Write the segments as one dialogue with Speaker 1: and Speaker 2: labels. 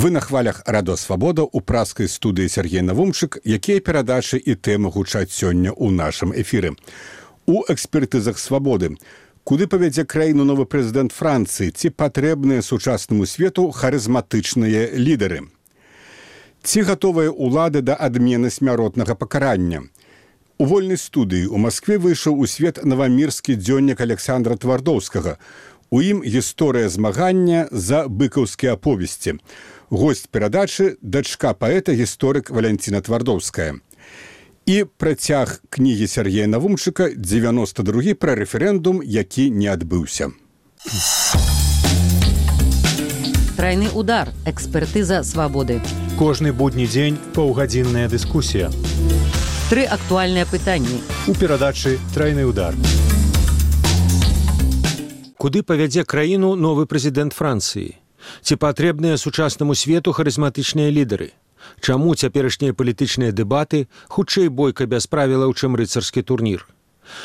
Speaker 1: Вы на хвалях Радо Свабода ў праскай студыі Сергей Навумчык, якія перадачы і тэмы гучаць сёння ў нашым эфіры. У экспертызах Свабоды. Куды павядзе краіну новы прэзідэнт Францыі? Ці патрэбныя сучаснаму свету харызматычныя лідары? Ці гатовыя ўлады да адмены смяротнага пакарання? У вольнай студыі ў Маскве выйшаў у свет навамірскі дзённік Александра Твардоўскага. У ім гісторыя змагання за быкаўскія аповесці. Госць перадачы – дачка паэта-гісторык Валянціна Твардоўская. І працяг кнігі Сергея Навумчыка 92 пра рэферэндум, які не адбыўся.
Speaker 2: Трайны удар. Экспертыза Свабоды.
Speaker 3: Кожны будні дзень паўгадзінная дыскусія.
Speaker 2: 3 актуальныя пытанні.
Speaker 3: У перадачы «Трайны удар». Куды павядзе краіну новы прэзідэнт Францыі? Ці патрэбныя сучаснаму свету харызматычныя лідары? Чаму цяперашнія палітычныя дэбаты хутчэй бойка без правілаў, чым рыцарскі турнір?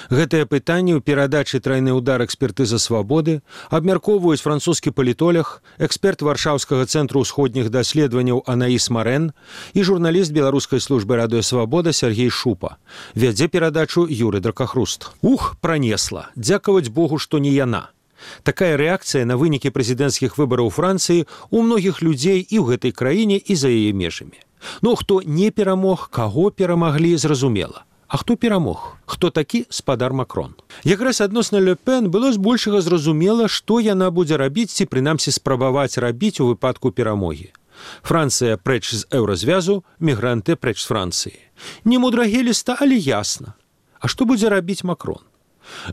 Speaker 3: Гэтае пытанне ў перадачы «Трайны удар» экспертыза Свабоды абмяркоўваюць французскі палітолог, эксперт Варшаўскага цэнтру ўсходніх даследаванняў Анаіс Марэн і журналіст беларускай службы Радыё Свабода Сергей Шупа. Вядзе перадачу Юрый Дракахруст. Пранесла. Дзякаваць Богу, што не яна. Такая рэакцыя на вынікі прэзідэнцкіх выбараў Францыі у многіх людзей і ў гэтай краіне, і за яе межамі. Хто не перамог, каго перамаглі, зразумела. А хто перамог? Хто такі спадар Макрон? Якраз адносна Ле Пен было збольшага зразумела, што яна будзе рабіць ці прынамсі спрабаваць рабіць у выпадку перамогі. Францыя прэч з еўразвязу, мігранты прэч з Францыі. Не мудрагеліста, але ясна. А што будзе рабіць Макрон?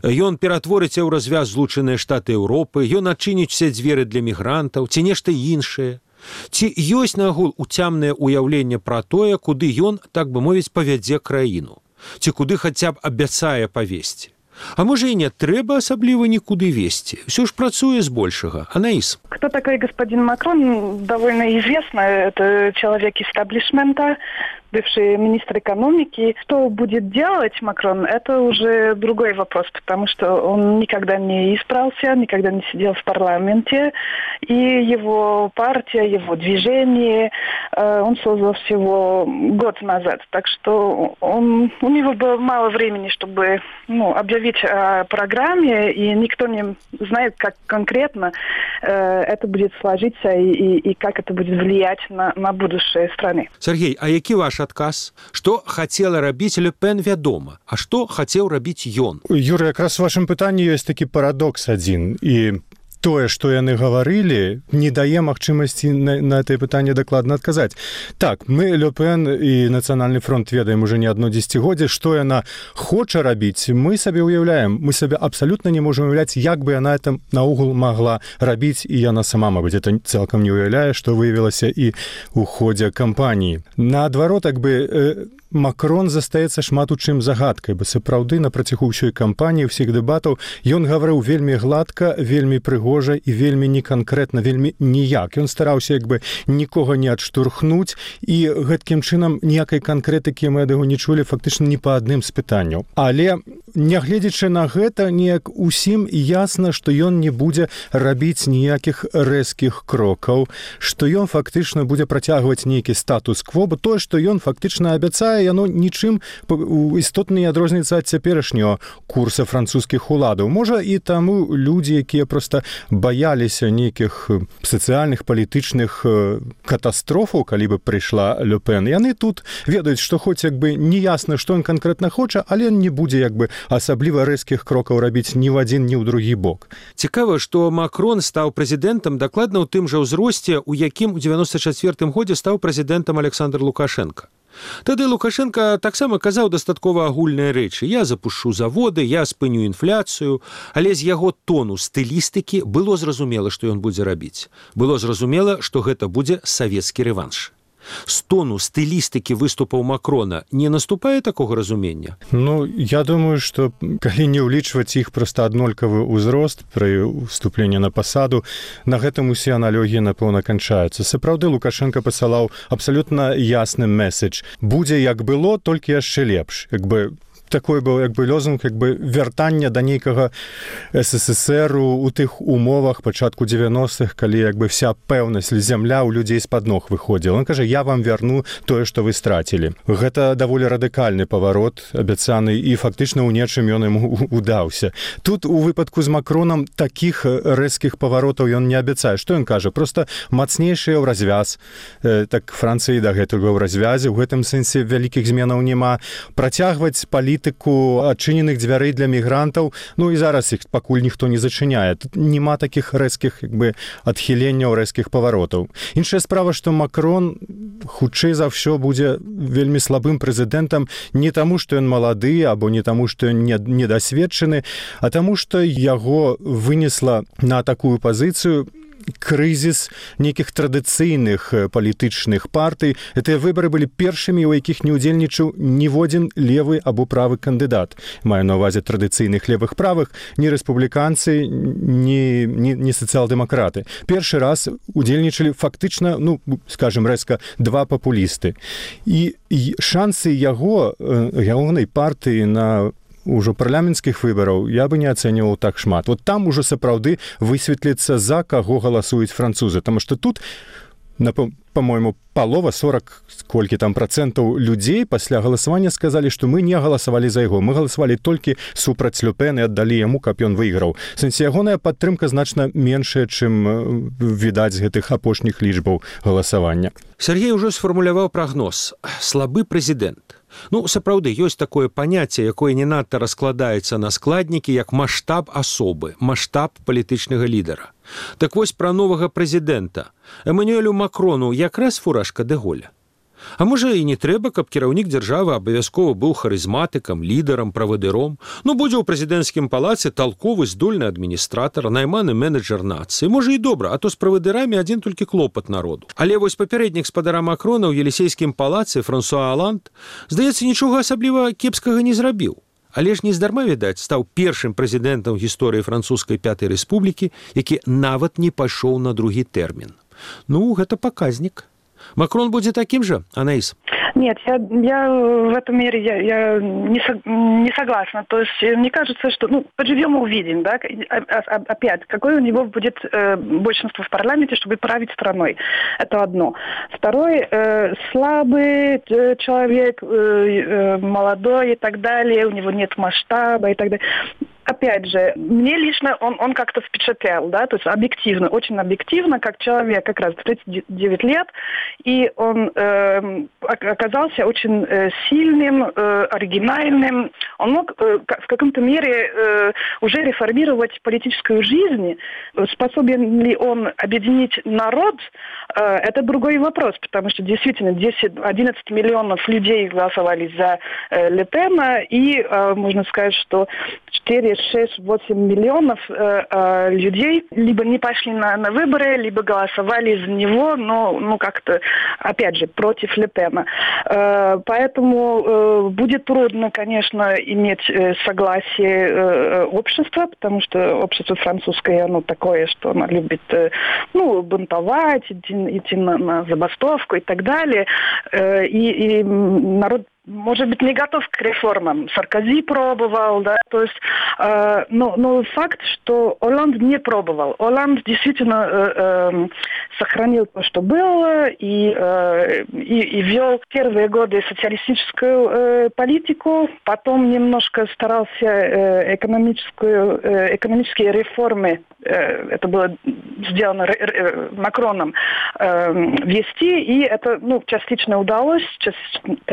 Speaker 3: Ён ператворыць еўразвяз Злучаныя Штаты Еўропы, ён адчыніць усе дзверы для мігрантаў, ці нешта іншае. Ці ёсць нагул уцямнае ўяўленне пра тое, куды ён, так бы мовіць, павядзе краіну? Ці куды хаця б абяцае павесці? А можа і не трэба асабліва нікуды весці? Всё ж працуе збольшага. Анаіс.
Speaker 4: Кто такой господин Макрон, довольно известно. Это человек истеблишмента, бывший министр экономики. Что будет делать Макрон, это уже другой вопрос, потому что он никогда не избрался, никогда не сидел в парламенте. И его партия, его движение, он создал всего год назад. Так что у него было мало времени, чтобы объявить о программе, и никто не знает, как конкретно это будет сложиться и как это будет влиять на будущее страны.
Speaker 3: Сергей, а які ваш адказ? Што хацела рабіць Ле Пен, вядома, а што хацеў рабіць ён?
Speaker 5: Юра, якраз у вашым пытанні ёсць такі парадокс адзін, і тое, што яны гаварылі, не дае магчымасці на гэтае пытанне дакладна адказаць. Так, мы Ле Пен і Нацыянальны фронт ведаем уже не адно дзесяцігоддзе, што яна хоча рабіць, мы сабе ўяўляем, мы сабе абсалютна не можам уяўляць, як бы яна это наогул магла рабіць, і яна сама, мабыць, это цалкам не ўяўляе, што выявілася і ў ходзе кампаніі. Наадварот, Макрон застаецца шмат у чым загадкай, бо сапраўды на працягу ўсёй кампаніі, ўсіх дэбатаў, ён гаварыў вельмі гладка, вельмі прыгожа і вельмі неканкрэтна, вельмі ніяк. Ён стараўся нікога не адштурхнуць, і гэткім чынам ніякай канкрэтыкі мы ад яго не чулі фактычна ні па адным з пытанняў. Але, нягледзячы на гэта, неяк усім ясна, што ён не будзе рабіць ніякіх рэзкіх крокаў, што ён фактычна будзе працягваць нейкі статус-кво, бо тое, што ён фактычна абяцае, яно нічым істотна не адрозніваецца ад цяперашняго курса французскіх уладаў. Можа, і таму людзі, якія проста баяліся нейкіх сацыяльных, палітычных катастрофаў, калі бы прыйшла Ле Пен, яны тут ведаюць, што хоць не ясна, што ён канкрэтна хоча, але не будзе асабліва рэзкіх крокаў рабіць ні в адзін, ні ў другі бок.
Speaker 3: Цікава, што Макрон стаў прэзідэнтам дакладна ў тым жа ўзросце, у якім у 94 годзе стаў прэзідэнтам Александр Лукашенко. Тады Лукашенко таксама казаў дастаткова агульныя рэчы. Я запушу заводы, я спыню інфляцыю, але з яго тону стылістыкі было зразумела, што ён будзе рабіць. Было зразумела, што гэта будзе савецкі рэванш. З тону стылістыкі выступаў Макрона не наступае такога разумення?
Speaker 5: Я думаю, што калі не ўлічваць іх проста аднолькавы ўзрост пры уступленні на пасаду, на гэтым усе аналогіі, напэўна, канчаюцца. Сапраўды, Лукашенко пасылаў абсалютна ясны месседж. Будзе як было, толькі яшчэ лепш. такой быў як бы лозунг як бы вяртання да нейкага СССР у тых умовах пачатку 90-х, калі як бы вся пэўнасць зямля ў людзей з-пад ног выходзіла. Он кажа, я вам вярну тое, што вы страцілі. Гэта даволі радыкальны паварот абяцаны, і фактычна ў нечым ён ім удаўся. Тут у выпадку з Макронам такіх рэзкіх паваротаў ён не абяцае. Што ён кажа? Проста мацнейшыя ў развяз. Так Францыі дагэтуль ў развязе. У гэтым сэнсе вялікіх зменаў няма. Працягваць палітыку адчыненых дзвярэй для мігрантаў, ну і зараз іх пакуль ніхто не зачыняе. Тут няма такіх рэзкіх як бы адхіленняў, рэзкіх паваротаў. Іншая справа, што Макрон хутчэй за ўсё будзе вельмі слабым прэзідэнтам не таму, што ён малады, або не таму, што ён недасведчаны, а таму, што яго вынесла на такую пазіцыю крызіс нейкіх традыцыйных палітычных партый. Гэтыя выбары былі першымі, у якіх не ўдзельнічаў ніводзін левы або правы кандыдат. Маю на ўвазе традыцыйных левых правых, ні рэспубліканцы, ні сацыял-дэмакраты. Першы раз удзельнічалі фактычна, ну, скажем рэзка, два папулісты. І шансы ягонай партыі на ўжо парламенцкіх выбараў я бы не ацэньваў так шмат. Вот там ужо сапраўды высветліцца, за каго галасуюць французы. Таму што тут, по-моему, палова, 40 колькі там процентаў людзей пасля галасавання сказалі, што мы не галасавалі за яго. Мы галасавалі толькі супраць Ле Пен і аддалі яму, каб ён выйграў. В сэнсе, ягоная падтрымка значна меншая, чым відаць з гэтых апошніх лічбаў галасавання.
Speaker 3: Сергей ужо сфармуляваў прагноз. Слабы прэзідэнт. Ну, сапраўды, ёсць такое паняцце, якое не надта раскладаецца на складнікі, як маштаб асобы, маштаб палітычнага лідара. Так вось пра новага прэзідэнта. Эмануэлю Макрону якраз фуражка дэ Голля. А можа і не трэба, каб кіраўнік дзяржавы абавязкова быў харызматыкам, лідарам, правадыром. Ну, будзе ў прэзідэнцкім палацы талковы, здольны адміністратар, найманы менеджер нацыі. Можа і добра, а то з правадырамі адзін толькі клопат народу. Але вось папярэднік спадара Макрона ў Елісейскім палацы Франсуа Оланд, здаецца, нічога асабліва кепскага не зрабіў. Але ж нездарма, відаць, стаў першым прэзідэнтам гісторыі французскай Пятай Рэспублікі, які нават не пайшоў на другі тэрмін. Ну, гэта паказнік. Макрон будет таким же, Анаис?
Speaker 4: Нет, я в этом мере я не согласна. То есть мне кажется, что поживем и увидим, да, опять, какое у него будет большинство в парламенте, чтобы править страной. Это одно. Второе, слабый человек, молодой и так далее, у него нет масштаба и так далее. Опять же, мне лично он как-то впечатлял, да, то есть объективно, очень объективно, как человек как раз 39 лет, и он оказался очень сильным, оригинальным. Он мог в каком-то мере уже реформировать политическую жизнь. Способен ли он объединить народ, это другой вопрос, потому что действительно 10-11 миллионов людей голосовали за Ле Пена, и можно сказать, что 4-6-8 миллионов людей либо не пошли на выборы, либо голосовали за него, но как-то, опять же, против Ле Пена. Поэтому будет трудно, конечно, иметь согласие общества, потому что общество французское, оно такое, что оно любит, бунтовать, идти на забастовку и так далее. И народ, может быть, не готов к реформам. Саркози пробовал, да, то есть, но факт, что Олланд не пробовал. Олланд действительно сохранил то, что было, и вел первые годы социалистическую политику, потом немножко старался экономические реформы, это было сделано Макроном, вести, и это, частично удалось,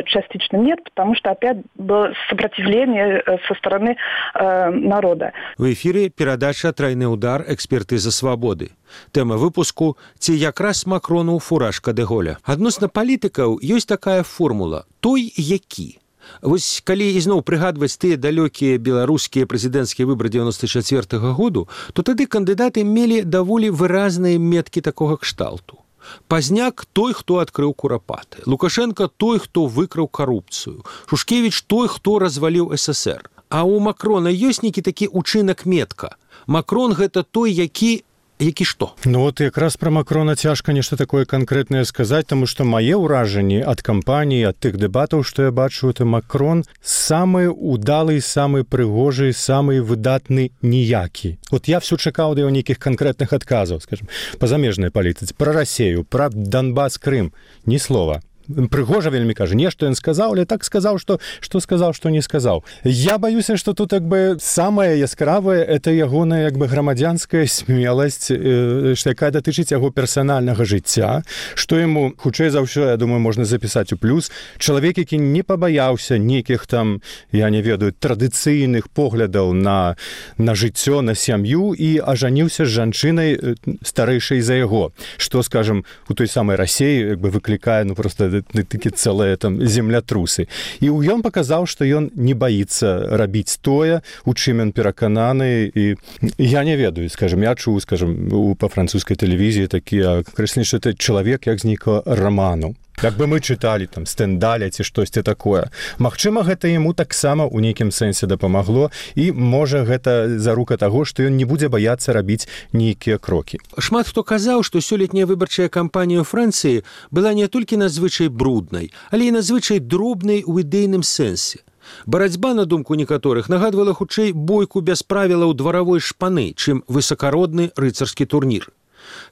Speaker 4: частично нет, потому что опять было сопротивление со стороны народа.
Speaker 3: В эфире передача «Тройный удар. Экспертиза свободы». Тема выпуску «Ці якраз Макрону фуражка дэ Голля». Адносна палітыкаў ёсць такая формула «той які». Вось калі ізноў прыгадваць тыя далёкія беларускія прэзідэнцкія выбары 94-го году, то тады кандыдаты мелі даволі выразныя меткі такога кшталту. Пазняк – той, хто адкрыў курапаты. Лукашенко – той, хто выкраў карупцыю. Шушкевіч – той, хто разваліў СССР. А ў Макрона ёсць нейкі такі учынак метка. Макрон – гэта той, які які што?
Speaker 5: Ну вот якраз пра Макрона цяжка нешта такое канкрэтнае сказаць, таму што мае ўражанні ад кампаніі, ад тых дэбатаў, што я бачу, это Макрон самы удалы, самы прыгожы, самы выдатны ніякі. Вот я всё чакаў да яго нейкіх канкрэтных адказаў, скажем, па замежнай палітыцы, пра Расею, пра Донбас, Крым, ні слова. Прыгожа вельмі кажа, нешта ён сказаў, але так сказаў, што сказаў, што не сказаў. Я баюся, што тут як бы самае яскравае это ягоная як бы грамадзянская смеласць, якая датычыць яго персанальнага жыцця, што яму хутчэй за ўсё, я думаю, можна запісаць у плюс. Чалавек, які не пабаяўся нейкіх там, я не ведаю, традыцыйных поглядаў на жыццё, на сям'ю і ажаніўся з жанчынай старэйшай за яго, што, скажем, у той самай Расеі як бы выклікае, ну просто такі цэлыя там землятрусы. І ён паказаў, што ён не баіцца рабіць тое, у чым ён перакананы, і я не ведаю, скажем, я чуў, скажем, па французскай тэлевізіі такі акрэсленне, што это чалавек як з нейкага раману. Як бы мы чыталі там Стэндаля ці штосьці такое. Магчыма, гэта яму таксама ў нейкім сэнсе дапамагло, і можа гэта зарука таго, што ён не будзе баяцца рабіць нейкія крокі.
Speaker 3: Шмат хто казаў, што сёлетняя выбарчая кампанія ў Францыі была не толькі надзвычай бруднай, але і надзвычай дробнай у ідэйным сэнсе. Барацьба, на думку некаторых, нагадвала хутчэй бойку без правілаў дваравой шпаны, чым высакародны рыцарскі турнір.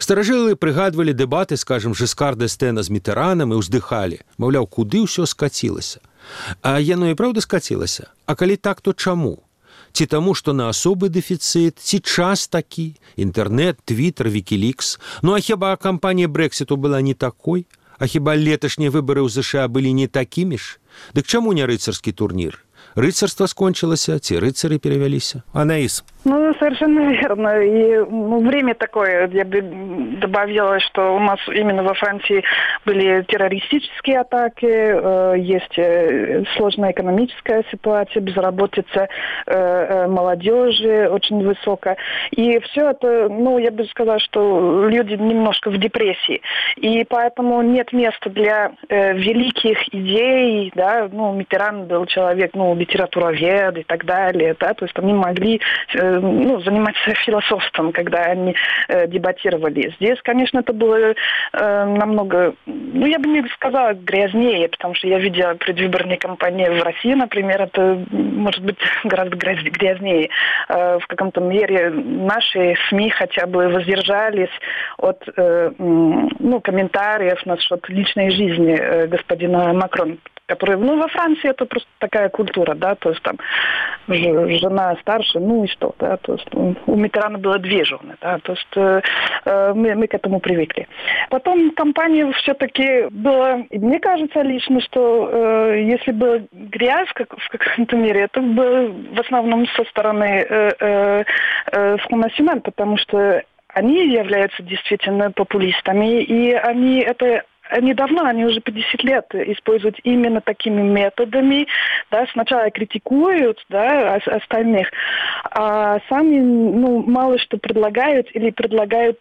Speaker 3: Старажылы прыгадвалі дэбаты, скажем, Жескар д'Эстэна з Мітэранам і ўздыхалі. Маўляў, куды ўсё скацілася? А яно і праўда скацілася? А калі так, то чаму? Ці таму, што на асобы дэфіцыт, ці час такі? Інтэрнэт, Твіттер, Вікілікс. Ну а хіба кампанія Брэксіту была не такой? А хіба леташнія выбары ў ЗША былі не такімі ж? Дык чаму не рыцарскі турнір? Рыцарства скончылася, ці рыцары перавяліся? Анаіс.
Speaker 4: Ну, совершенно верно. И время такое, я бы добавила, что у нас именно во Франции были террористические атаки, есть сложная экономическая ситуация, безработица молодежи очень высокая. И все это, ну, я бы сказала, что люди немножко в депрессии. И поэтому нет места для великих идей, да, ну, Миттеран был человек, ну, литературовед и так далее, да, то есть они могли заниматься философством, когда они дебатировали. Здесь, конечно, это было намного, ну, я бы не сказала грязнее, потому что я видела предвыборные кампании в России, например, это, может быть, гораздо грязнее. В каком-то мере наши СМИ хотя бы воздержались от комментариев насчет личной жизни господина Макрона, который, ну, во Франции это просто такая культура, да, то есть там жена старше, ну и что, да, то есть у Миттерана было 2 жены, да, то есть мы к этому привыкли. Потом кампания все-таки была, мне кажется лично, что если была грязь в каком-то мере, это было в основном со стороны Front National, потому что они являются действительно популистами, и они давно, они уже 50 лет используют именно такими методами, да, сначала критикуют, да, остальных, а сами, ну, мало что предлагают или предлагают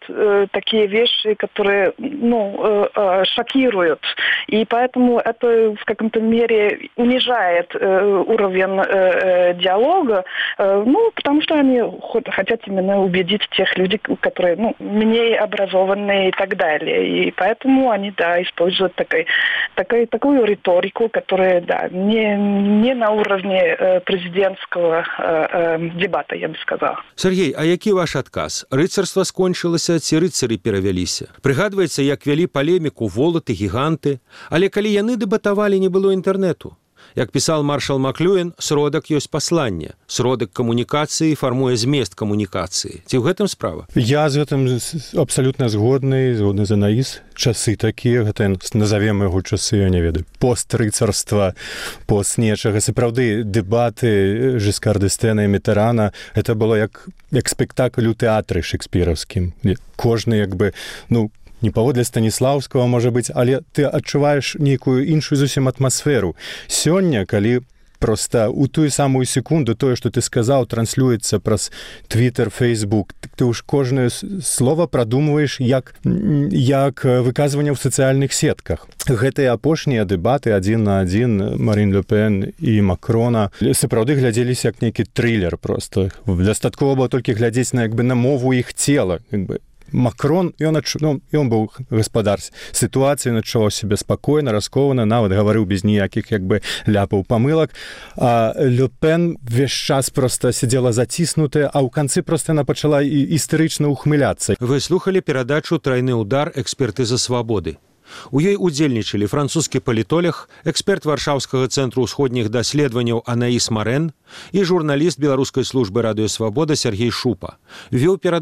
Speaker 4: такие вещи, которые, ну, шокируют. И поэтому это в каком-то мере унижает уровень диалога, ну, потому что они хотят именно убедить тех людей, которые, ну, менее образованные и так далее. И поэтому они, да, используют такую риторику, которая, да, не на уровне президентского дебата, я бы сказала.
Speaker 3: Сергей, а які ваш адказ? Рыцарства скончылася, ці рыцары перавяліся? Прыгадваецца, як вялі палеміку волаты, гіганты, але калі яны дэбатавалі, не было інтэрнэту. Як пісаў маршал Маклюэн, сродак ёсць пасланне. Сродак камунікацыі фармуе змест камунікацыі. Ці ў гэтым справа?
Speaker 5: Я з гэтым абсалютна згодны з Анаіс. Часы такія, гэта назовем яго часы, я не ведаю, пост-рыцарства, пост нечага. Сапраўды, дэбаты Жескар д'Эстэна і Міттерана, это было як спектакль у тэатры шекспіраўскім. Кожны, як бы, ну, не паводле Станіслаўскага, можа быць, але ты адчуваеш нейкую іншую зусім атмасферу. Сёння, калі проста у тую самую секунду тое, што ты сказаў, транслюецца праз Твиттер, Фейсбук, ты ўж кожнае слова прадумваеш як выказванне ў сацыяльных сетках. Гэтыя апошнія дэбаты 1 на 1 Марін Ле Пен і Макрона сапраўды глядзеліся як нейкі трылер проста. Дастаткова было толькі глядзець на, як бы, на мову іх цела, як бы. Макрон, ён быў гаспадар сітуацыі, адчуваў сябе спакойна, раскованна, нават гаварыў без ніякіх ляпаў, памылак. А Ле Пен весь час проста сидзела заціснутая, а ў канцы проста яна пачала істэрычна ухмыляцца.
Speaker 3: Вы слухали перадачу «Тройны удар. Экспертыза свабоды». У ёй удзельнічалі французскі палітолог, эксперт Варшаўскага цэнтру ўсходніх даследаванняў Анаіс Марэн і журналіст беларускай службы радыёсвабода Сергей Шупа. Вёў перадачу